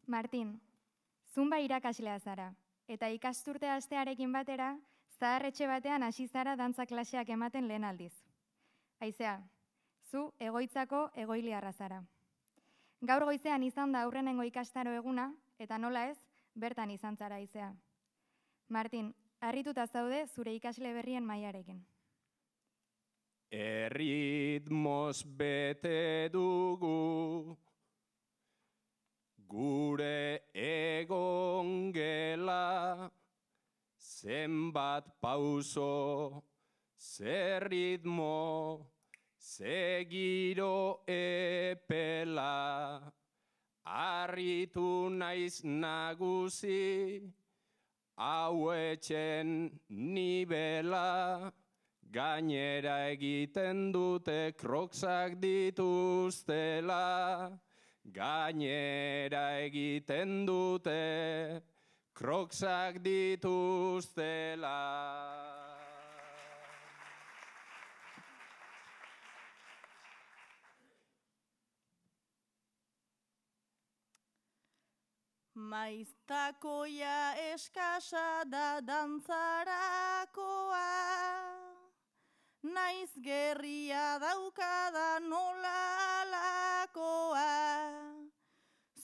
Martin, zunba irakaslea zara, eta ikasturte hastearekin batera, zaharretxe batean hasi zara dantza klaseak ematen lehen aldiz. Aizea, zu egoitzako egoiliarra zara. Gaur goizean izan da aurrenengo ikastaro eguna, eta nola ez, bertan izan zara Aizea. Martin, harrituta zaude zure ikasle berrien mailarekin. Erritmoz bete dugu, gure egon gela, zenbat pauso, zer ritmo, ze giro epela, harritu naiz nagusi, hau etxen nibela, gainera egiten dute kroksak dituztela, gainera egiten dute kroksak dituztela. Maiztakoia eskasa da dantzarakoa, naiz gerria daukada nola alakoa.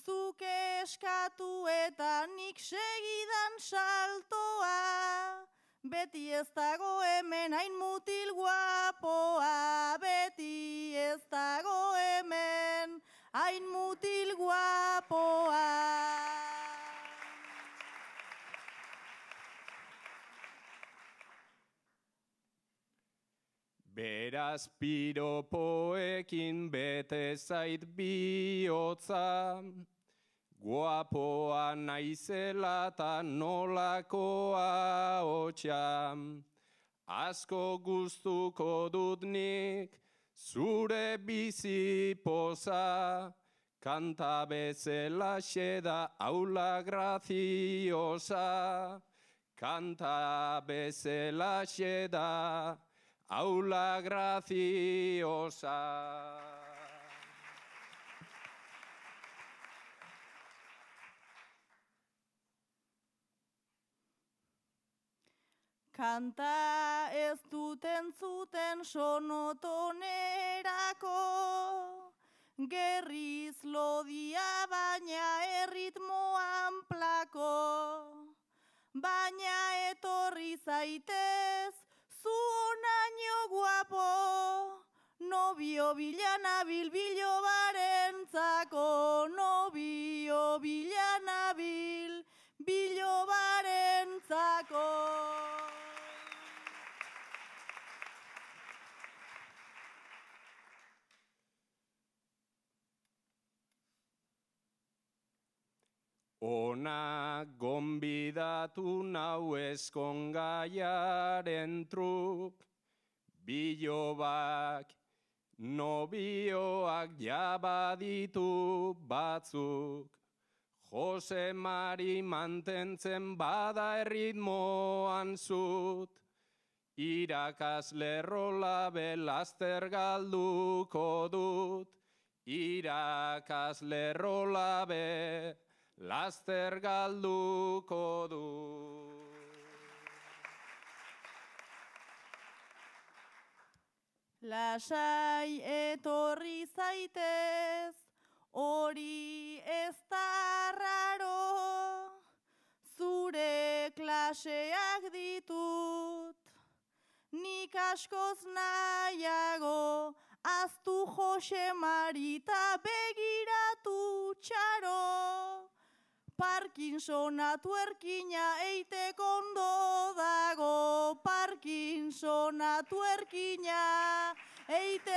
Zuk eskatu eta nik segidan saltoa, beti ez dago hemen hain mutil guapoa, beti ez dago hemen hain mutil guapoa. Beraz piropoekin bete zait bihotza, guapoa naizela ta nolakoa hotxa. Asko gustuko dut nik zure bizi poza, kanta bezelaxe da aula graziosa, kanta bezelaxe da aula graziosa. Kanta ez dut entzuten sonotonerako, gerriz lodia baina erritmoan plako. Baina etorri zaitez, zu onaino guapo, nobio bilanabil bilobarentzako, nobio bilanabil bilobarentzako. Ona gonbidatu nau ezkongaiaren truk, bilobak, nobioak jabaditu batzuk. Jose Mari mantentzen bada erritmoan zut, irakasle Rolabe laster galduko dut, irakasle Rolabe laster galduko dut. Lasai etorri zaitez, hori ez da raro, zure klaseak ditut, nik askoz nahiago, aztu Jose Marita begiratu txaro. Parkinsona tuerkina eiteko ondo dago, Parkinsona tuerkina eiteko